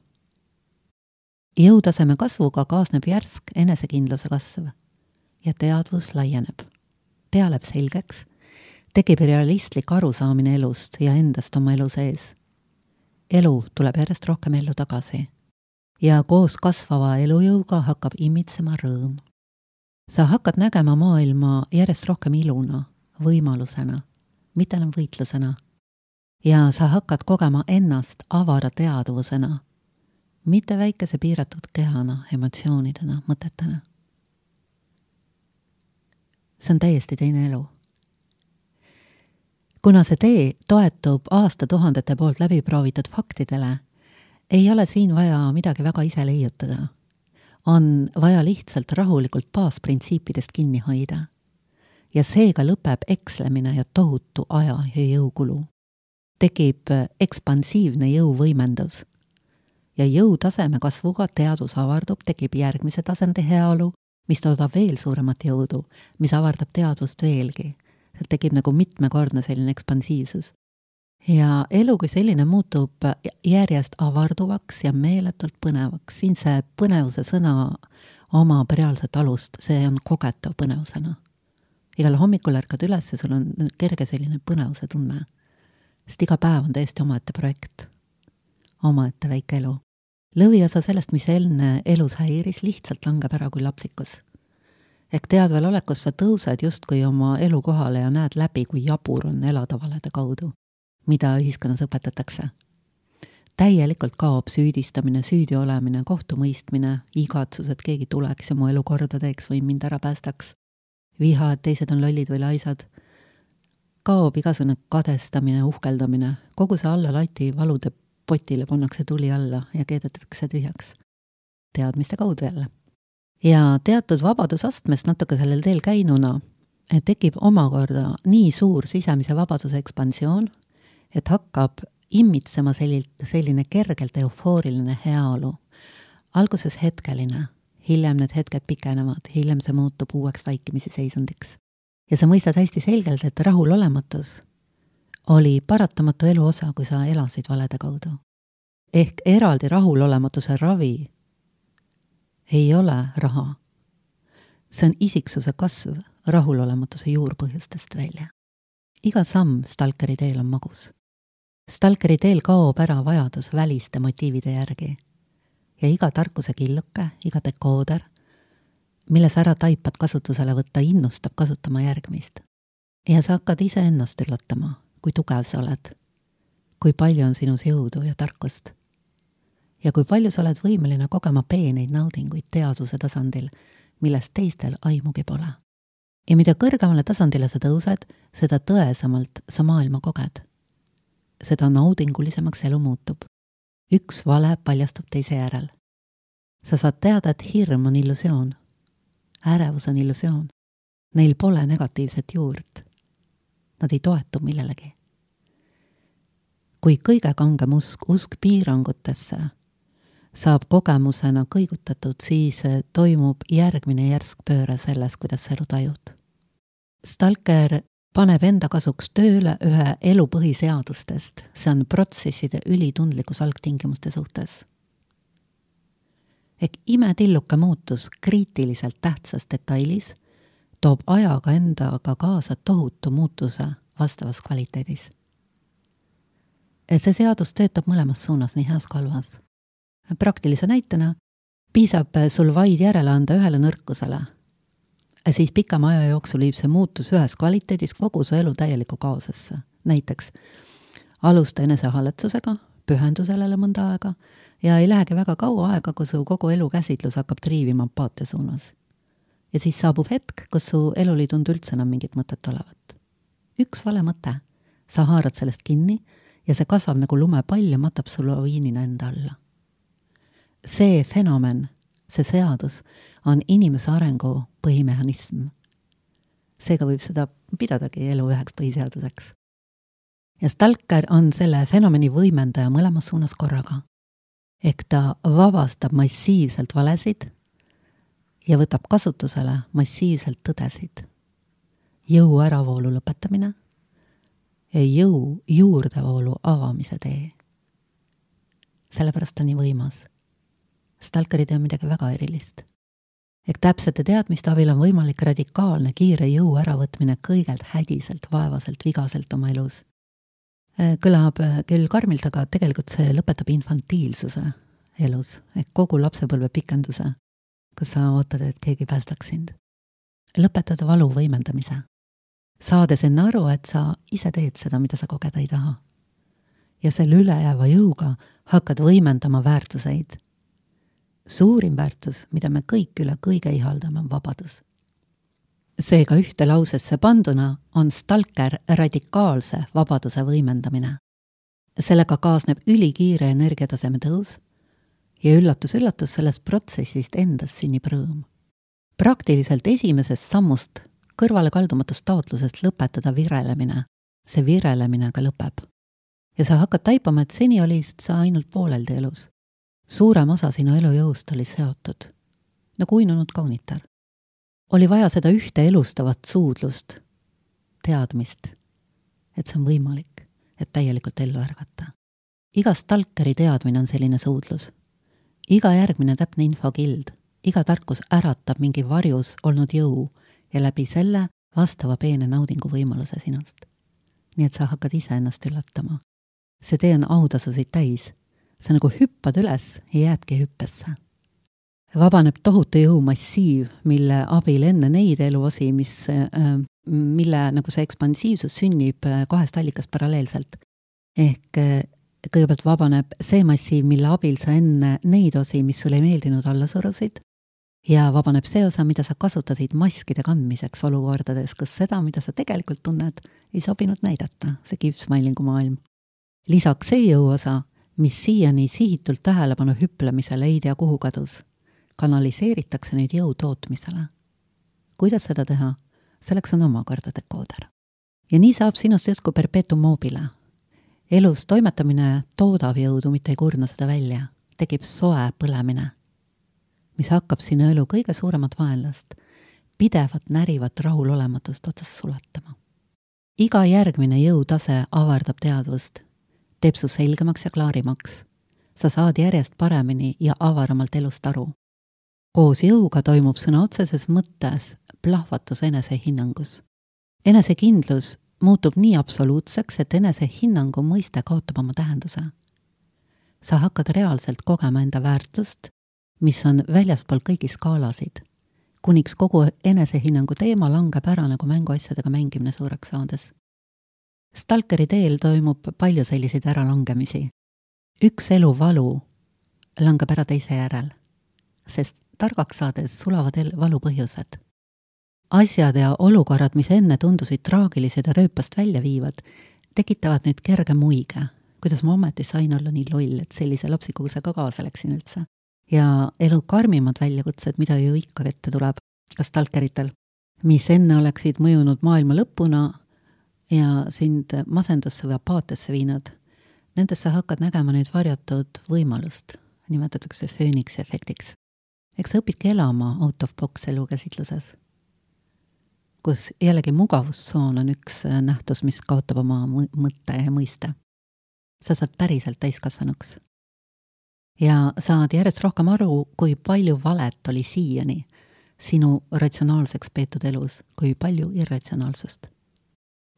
Jõutaseme kasvuga kaasneb järsk enesekindluse kasv ja teadvus laieneb. Pea läheb selgeks, tekib realistlik arusaamine elust ja endast oma elu sees. Elu tuleb järjest rohkem ellu tagasi ja koos kasvava elujõuga hakkab imitsema rõõm. Sa hakkad nägema maailma järjest rohkem iluna, võimalusena, mitte enam võitlusena. Ja sa hakkad kogema ennast avara teadvusena, mitte väikese piiratud kehana, emotsioonidena, mõtetena. See on täiesti teine elu. Kuna see tee toetub aastatuhandete poolt läbiproovitud faktidele, ei ole siin vaja midagi väga ise leiutada. On vaja lihtsalt rahulikult baasprintsiipidest kinni hoida. Ja seega lõpeb ekslemine ja tohutu aja ja jõukulu. Tekib ekspansiivne jõuvõimendus. Ja jõutaseme kasvuga teadus avardub, tekib järgmise tasandi heaolu, mis toodab veel suuremat jõudu, mis avardab teadvust veelgi. See tekib nagu mitmekordne selline ekspansiivsus. Ja elu kui selline muutub järjest avarduvaks ja meeletult põnevaks. Siin see põnevuse sõna omab reaalset alust, see on kogetav põnevusena. Igal hommikul ärkad üles ja sul on kerge selline põnevuse tunne. Sest iga päev on täiesti omaette projekt, omaette väike elu. Lõviosa sellest, mis enne elus häiris, lihtsalt langeb ära kui lapsikus. Ehk teadvel olekus sa tõused justkui oma elu kohale ja näed läbi, kui jabur on elada valede kaudu, mida ühiskonnas õpetatakse. Täielikult kaob süüdistamine, süüdi olemine, kohtumõistmine, igatsus, et keegi tuleks ja mu elu korda teeks või mind ära päästaks. Viha, et teised on lollid või laisad. Kaob igasugune kadestamine, uhkeldamine. Kogu see alla lati valude potile pannakse tuli alla ja keedetakse tühjaks. Teadmiste kaudu jälle. Ja teatud vabadusastmest natuke sellel teel käinuna tekib omakorda nii suur sisemise vabaduse ekspansioon, et hakkab immitsema selline kergelt eufooriline heaolu. Alguses hetkeline, hiljem need hetked pikenevad, hiljem see muutub uueks vaikimisi seisundiks. Ja sa mõistad hästi selgelt, et rahulolematus oli paratamatu elu osa, kui sa elasid valede kaudu. Ehk eraldi rahulolematuse ravi ei ole raha. See on isiksuse kasv rahulolematuse juurpõhjustest välja. Iga samm stalkeri teel on magus. Stalkeri teel kaob ära vajadus väliste motiivide järgi. Ja iga tarkuse killuke, iga dekooder, milles ära taipad kasutusele võtta, innustab kasutama järgmist. Ja sa hakkad ise ennast üllatama, kui tugev sa oled, kui palju on sinus jõudu ja tarkust. Ja kui palju sa oled võimeline kogema peeneid naudinguid teadvuse tasandil, millest teistel aimugi pole. Ja mida kõrgemale tasandile sa tõused, seda tõesamalt sa maailma koged. Seda naudingulisemaks elu muutub. Üks vale paljastub teise järel. Sa saad teada, et hirm on illusioon. Ärevus on illusioon. Neil pole negatiivset juurt. Nad ei toetu millelegi. Kui kõige kangem usk piirangutesse saab kogemusena kõigutatud, siis toimub järgmine järsk pööre selles, kuidas sa elu tajud. Stalker paneb enda kasuks tööle ühe elu põhiseadustest. See on protsesside ülitundlikkus algtingimuste suhtes. Ehk imetilluke muutus kriitiliselt tähtsas detailis toob ajaga endaga kaasa tohutu muutuse vastavas kvaliteedis. See seadus töötab mõlemas suunas, nii heas kui halvas. Praktilise näitena piisab sul vaid järele anda ühele nõrkusele. Siis pikema aja jooksul viib see muutus ühes kvaliteedis kogu su elu täieliku kaosesse. Näiteks alusta enesehaletsusega, pühendu sellele mõnda aega ja ei lähegi väga kaua aega, kui su kogu elu käsitlus hakkab triivima empaatia suunas. Ja siis saabub hetk, kus su elul ei tundu üldse enam mingit mõtet olevat. Üks vale mõte. Sa haarad sellest kinni ja see kasvab nagu lumepall ja matab su laviinina enda alla. See fenomen, see seadus on inimese arengu põhimehhanism. Seega võib seda pidadagi elu üheks põhiseaduseks. Ja Stalker on selle fenomeni võimendaja mõlemas suunas korraga. Ehk ta vabastab massiivselt valesid ja võtab kasutusele massiivselt tõdesid. Jõu äravoolu lõpetamine ja jõu juurdevoolu avamise tee. Sellepärast ta nii võimas. Stalkerid on midagi väga erilist. Ehk täpsete teadmiste abil on võimalik radikaalne kiire jõu äravõtmine kõigelt hädiselt, vaevaselt, vigaselt oma elus. Kõlab küll karmilt, aga tegelikult see lõpetab infantiilsuse elus, ehk kogu lapsepõlve pikenduse, kus sa ootad, et keegi päästaks sind. Lõpetada valu võimendamise. Saades enne aru, et sa ise teed seda, mida sa kogeda ei taha. Ja selle ülejääva jõuga hakkad võimendama väärtuseid. Suurim väärtus, mida me kõik üle kõige ihaldame, on vabadus. Seega ühte lausesse panduna on Stalker radikaalse vabaduse võimendamine. Sellega kaasneb ülikiire energiataseme tõus ja üllatus sellest protsessist endast sünnib rõõm. Praktiliselt esimesest sammust kõrvale kaldumatust taotlusest lõpetada virelemine. See virelemine aga lõpeb. Ja sa hakkad taipama, et seni oli sa ainult pooleldi elus. Suurem osa sinu elujõust oli seotud, nagu uinunud kaunitar. Oli vaja seda ühte elustavat suudlust, teadmist, et see on võimalik, et täielikult ellu ärgata. Iga Stalkeri teadmine on selline suudlus. Iga järgmine täpne infokild, iga tarkus äratab mingi varjus olnud jõu ja läbi selle vastava peene naudingu võimaluse sinust. Nii et sa hakkad ise ennast üllatama. See tee on autasusid täis. Sa nagu hüppad üles ja jäädki hüppesse. Vabaneb tohutu jõumassiiv, mille abil enne neid eluosi, mille nagu see ekspansiivsus sünnib kahest allikast paralleelselt. Ehk kõigepealt vabaneb see massiiv, mille abil sa enne neid osi, mis sulle ei meeldinud alla surusid, ja vabaneb see osa, mida sa kasutasid maskide kandmiseks olukordades, kus seda, mida sa tegelikult tunned, ei sobinud näidata, see keep-smilingu maailm. Lisaks see jõuosa, mis siiani sihitult tähelepanu hüplemisele ei tea kuhu kadus, kanaliseeritakse nüüd jõu tootmisele. Kuidas seda teha? Selleks on omakorda dekooder. Ja nii saab sinust justkui perpetuum mobile. Elus toimetamine toodab jõudu, mitte ei kurna seda välja. Tekib soe põlemine, mis hakkab sinu elu kõige suuremat vaenlast, pidevat närivat rahulolematust otsas sulatama. Iga järgmine jõutase avardab teadvust, teeb su selgemaks ja klaarimaks. Sa saad järjest paremini ja avaramalt elust aru. Koos jõuga toimub sõna otseses mõttes plahvatus enesehinnangus. Enesekindlus muutub nii absoluutseks, et enesehinnangu mõiste kaotab oma tähenduse. Sa hakkad reaalselt kogema enda väärtust, mis on väljaspool kõigi skaalasid, kuniks kogu enesehinnangu teema langeb ära nagu mänguasjadega mängimine suureks saades. Stalkeri teel toimub palju selliseid äralangemisi. Üks elu valu langeb ära teise järel, sest targaks saades sulavad valu põhjused. Asjad ja olukorrad, mis enne tundusid traagilised ja rööpast välja viivad, tekitavad nüüd kerge muige. Kuidas ma ometi sain olla nii loll, et sellise lapsikuusega kaasa läksin üldse. Ja elu karmimad väljakutsed, mida ju ikka ette tuleb, ka stalkeritel, mis enne oleksid mõjunud maailma lõpuna ja sind masendusse või apaatiasse viinud, nendesse hakkad nägema nüüd varjatud võimalust, nimetatakse fööniksi efektiks. Eks sa õpidki elama out of box elukäsitluses, kus jällegi mugavustsoon on üks nähtus, mis kaotab oma mõtte ja mõiste. Sa saad päriselt täiskasvanuks. Ja saad järjest rohkem aru, kui palju valet oli siiani sinu ratsionaalseks peetud elus, kui palju irratsionaalsust.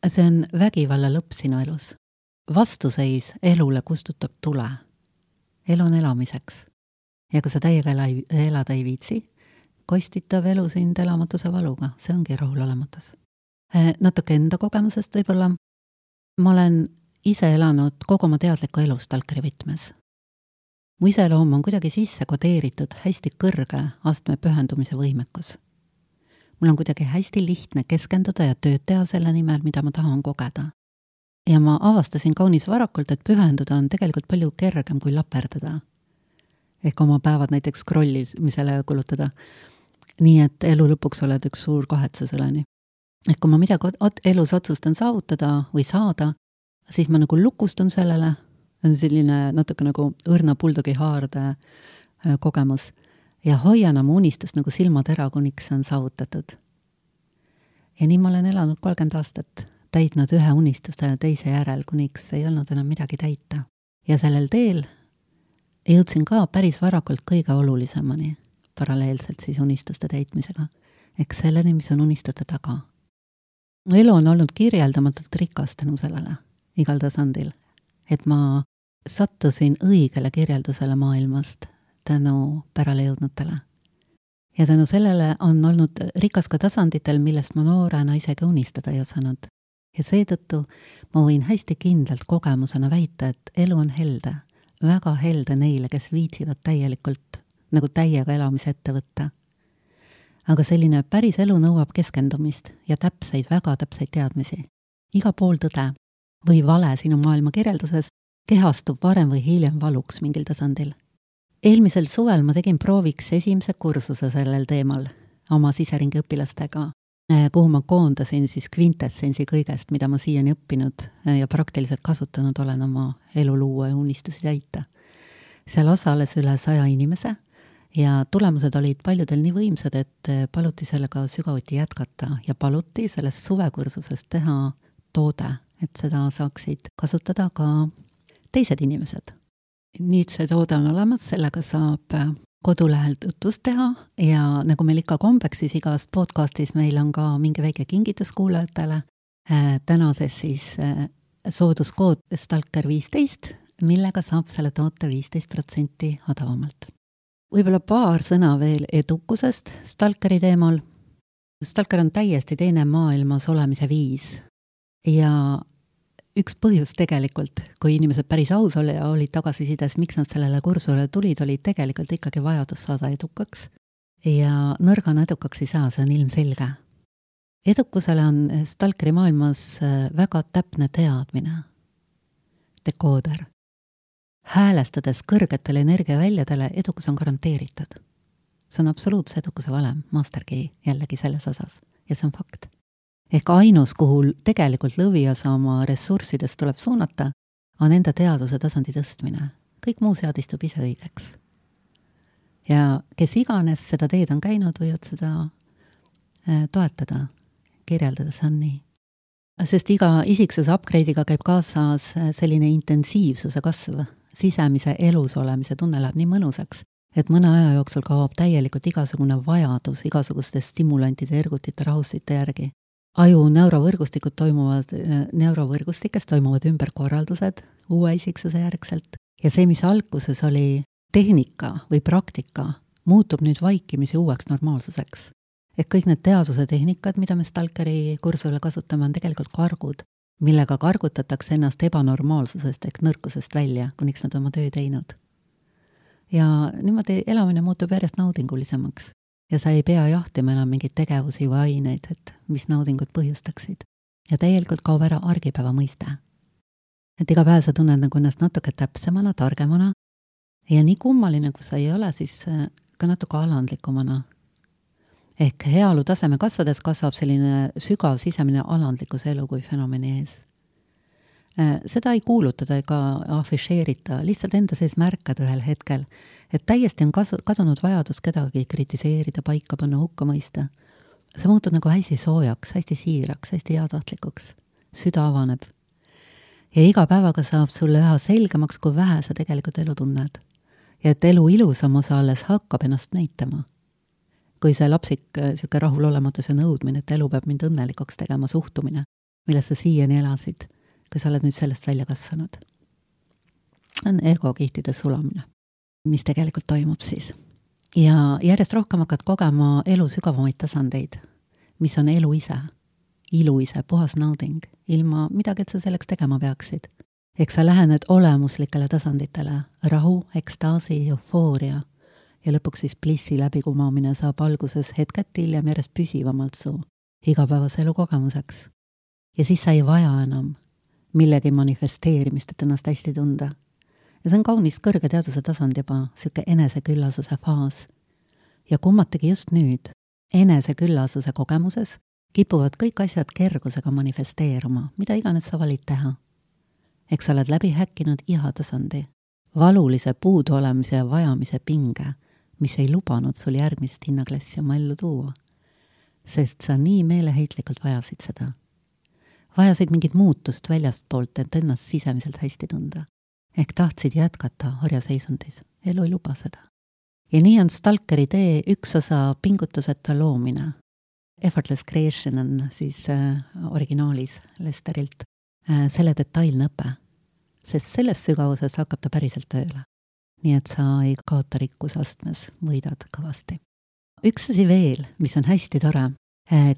See on vägivalla lõpp sinu elus. Vastuseis elule kustutab tule. Elu on elamiseks. Ja kui sa täiega elada ei viitsi, kostitav elu sind elamatuse valuga. See ongi rahulolematus. Natuke enda kogemusest võib-olla. Ma olen ise elanud kogu oma teadliku elu stalkeri võtmes. Mu iseloom on kuidagi sisse kodeeritud hästi kõrge astme pühendumise võimekus. Mul on kuidagi hästi lihtne keskenduda ja tööd teha selle nimel, mida ma tahan kogeda. Ja ma avastasin kaunis varakult, et pühenduda on tegelikult palju kergem kui laperdada. Ehk oma päevad näiteks scrollimisele kulutada. Nii et elu lõpuks oled üks suur kahetsusüleni. Ehk kui ma midagi elus otsustan saavutada või saada, siis ma nagu lukustun sellele, on selline natuke nagu õrna buldogi haarde kogemus ja hoian oma unistust nagu silmatera, kuniks on saavutatud. Ja nii ma olen elanud 30 aastat, täitnud ühe unistuse teise järel, kuniks ei olnud enam midagi täita. Ja sellel teel jõudsin ka päris varakult kõige olulisemani, paralleelselt siis unistuste täitmisega. Eks selleni, mis on unistuste taga. Mu elu on olnud kirjeldamatult rikas tänu sellele, igal tasandil. Et ma sattusin õigele kirjeldusele maailmast tänu pärale jõudnutele. Ja tänu sellele on olnud rikas ka tasanditel, millest ma noorena isegi unistada ei osanud. Ja seetõttu ma võin hästi kindlalt kogemusena väita, et elu on helde, väga helde neile, kes viitsivad täielikult, nagu täiega elamise ette võtta. Aga selline päris elu nõuab keskendumist ja täpseid, väga täpseid teadmisi. Iga pool tõde või vale sinu maailma kirjelduses kehastub varem või hiljem valuks mingil tasandil. Eelmisel suvel ma tegin prooviks esimese kursuse sellel teemal oma siseringi õpilastega, kuhu ma koondasin siis kvintessensi kõigest, mida ma siiani õppinud ja praktiliselt kasutanud olen oma elu luua ja unistusi täita. Seal osales üle 100 inimese ja tulemused olid paljudel nii võimsad, et paluti sellega sügavuti jätkata ja paluti sellest suvekursusest teha toode, et seda saaksid kasutada ka teised inimesed. Nüüd see toode on olemas, sellega saab kodulehel tutvust teha ja nagu meil ikka kombeks, siis igas podcastis meil on ka mingi väike kingitus kuulajatele. Tänases siis sooduskood Stalker 15, millega saab selle toote 15% odavamalt. Võib-olla paar sõna veel edukusest Stalkeri teemal. Stalker on täiesti teine maailmas olemise viis ja üks põhjus tegelikult, kui inimesed päris aus olid tagasisides, miks nad sellele kursusele tulid, oli tegelikult ikkagi vajadus saada edukaks. Ja nõrgana edukaks ei saa, see on ilmselge. Edukusele on Stalkeri maailmas väga täpne teadmine, dekooder. Häälestades kõrgetele energiaväljadele edukus on garanteeritud. See on absoluutse edukuse valem, masterkey jällegi selles osas ja see on fakt. Ehk ainus, kuhu tegelikult lõviosa oma ressurssidest tuleb suunata, on enda teaduse tasandi tõstmine. Kõik muu seadistub ise õigeks. Ja kes iganes seda teed on käinud, võivad seda toetada, kirjeldada, see on nii. Sest iga isiksuse upgrade'iga käib kaasas selline intensiivsuse kasv, sisemise elus olemise tunne läheb nii mõnusaks, et mõne aja jooksul kaob täielikult igasugune vajadus igasuguste stimulantide, ergutite, rahustite järgi. Aju neurovõrgustikes toimuvad ümberkorraldused uue isiksuse järgselt ja see, mis alguses oli tehnika või praktika, muutub nüüd vaikimisi uueks normaalsuseks. Ehk kõik need teaduse tehnikad, mida me Stalkeri kursusele kasutame, on tegelikult kargud, millega kargutatakse ennast ebanormaalsusest ehk nõrkusest välja, kuniks nad oma töö teinud. Ja niimoodi elamine muutub järjest naudingulisemaks. Ja sa ei pea jahtima enam mingeid tegevusi või aineid, et mis naudingut põhjustaksid. Ja täielikult kaob ära argipäeva mõiste. Et iga päev sa tunned nagu ennast natuke täpsemana, targemana ja nii kummaline, kui sa ei ole, siis ka natuke alandlikumana. Ehk heaolu taseme kasvades kasvab selline sügav sisemine alandlikkuse elu kui fenomeni ees. Seda ei kuulutada ega afišeerita, lihtsalt enda sees märkad ühel hetkel, et täiesti on kadunud vajadus kedagi kritiseerida, paika panna, hukka mõista. Sa muutud nagu hästi soojaks, hästi siiraks, hästi heatahtlikuks. Süda avaneb. Ja iga päevaga saab sulle üha selgemaks, kui vähe sa tegelikult elu tunned. Ja et elu ilusam osa alles hakkab ennast näitama. Kui see lapsik siuke rahulolematus ja nõudmine, et elu peab mind õnnelikuks tegema suhtumine, milles sa siiani elasid, kui sa oled nüüd sellest välja kasvanud. On egokihtide sulamine, mis tegelikult toimub siis. Ja järjest rohkem hakkad kogema elu sügavamaid tasandeid, mis on elu ise, ilu ise, puhas nauding, ilma midagi, et sa selleks tegema peaksid. Eks sa lähened olemuslikele tasanditele, rahu, ekstaasi, eufooria ja lõpuks siis plissi läbikumamine saab alguses hetket hiljem järjest püsivamalt su igapäevase elu kogemuseks. Ja siis sa ei vaja enam millegi manifesteerimist, et ennast hästi tunda. Ja see on kaunis kõrge teaduse tasand juba, siuke eneseküllasuse faas. Ja kummategi just nüüd, eneseküllasuse kogemuses, kipuvad kõik asjad kergusega manifesteeruma, mida iganes sa valid teha. Eks sa oled läbi häkkinud iha tasandi, valulise puudu olemise ja vajamise pinge, mis ei lubanud sul järgmist hinnaklassi oma ellu tuua. Sest sa nii meeleheitlikult vajasid seda. Vajasid mingit muutust väljast poolt, et ennast sisemiselt hästi tunda. Ehk tahtsid jätkata orjaseisundis. Elu ei luba seda. Ja nii on Stalkeri tee üks osa pingutuseta loomine. Effortless creation on siis originaalis Lesterilt selle detailne õpe. Sest selles sügavuses hakkab ta päriselt tööle. Nii et sa ei kaota rikkusastmes, võidad kõvasti. Üks asi veel, mis on hästi tore.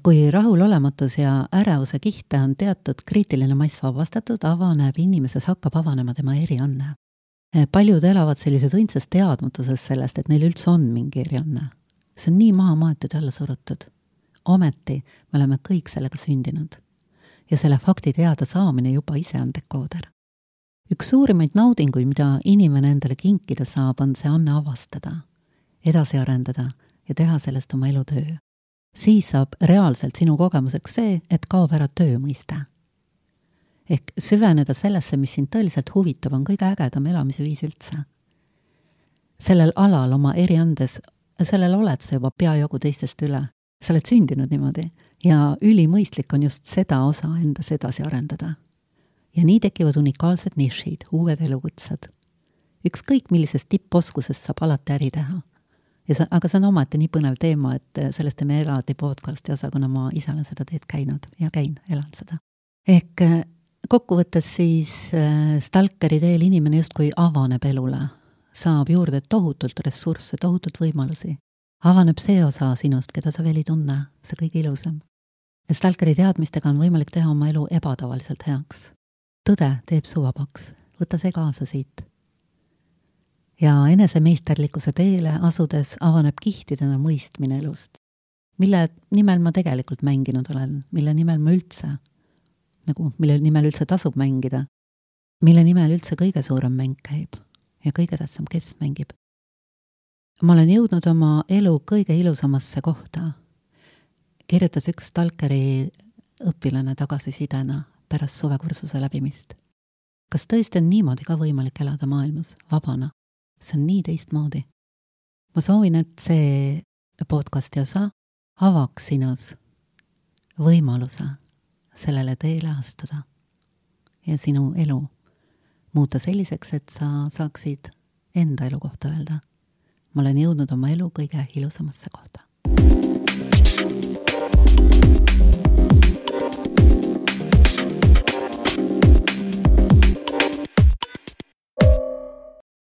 Kui rahulolematus ja ärevuse kihte on teatud kriitiline mass vabastatud, avaneb inimeses, hakkab avanema tema erianne. Paljud elavad sellises õndsas teadmatuses sellest, et neil üldse on mingi erianne. See on nii maha maetud ja alla surutud. Ometi me oleme kõik sellega sündinud. Ja selle fakti teada saamine juba ise on dekooder. Üks suurimaid naudinguid, mida inimene endale kinkida saab, on see anne avastada, edasi arendada ja teha sellest oma elutöö. Siis saab reaalselt sinu kogemuseks see, et kaob ära töö mõiste. Ehk süveneda sellesse, mis sind tõeliselt huvitab, on kõige ägedam elamise viis üldse. Sellel alal oma eriandes, sellel oled sa juba peajogu teistest üle. Sa oled sündinud niimoodi ja ülimõistlik on just seda osa endas edasi arendada. Ja nii tekivad unikaalsed nišid, uued elukutsed. Ükskõik millisest tipposkusest saab alati äri teha. Aga see on ometi nii põnev teema, et sellest teeme eraldi podcasti osa, kuna ma ise olen seda teed käinud ja elan seda. Ehk kokkuvõttes siis Stalkeri teel inimene justkui avaneb elule, saab juurde tohutult ressursse, tohutult võimalusi. Avaneb see osa sinust, keda sa veel ei tunne, see kõige ilusam. Stalkeri teadmistega on võimalik teha oma elu ebatavaliselt heaks. Tõde teeb su vabaks, võta see kaasa siit. Ja enesemeisterlikkuse teele asudes avaneb kihtidena mõistmine elust, mille nimel ma tegelikult mänginud olen, mille nimel ma üldse, mille nimel üldse tasub mängida, mille nimel üldse kõige suurem mäng käib ja kõige tähtsam, kes mängib. Ma olen jõudnud oma elu kõige ilusamasse kohta. Kirjutas üks Stalkeri õpilane tagasisidena pärast suvekursuse läbimist. Kas tõesti on niimoodi ka võimalik elada maailmas vabana? See on nii teistmoodi. Ma soovin, et see podcasti osa avaks sinus võimaluse sellele teele astuda ja sinu elu muuta selliseks, et sa saaksid enda elu kohta öelda. Ma olen jõudnud oma elu kõige ilusamasse kohta.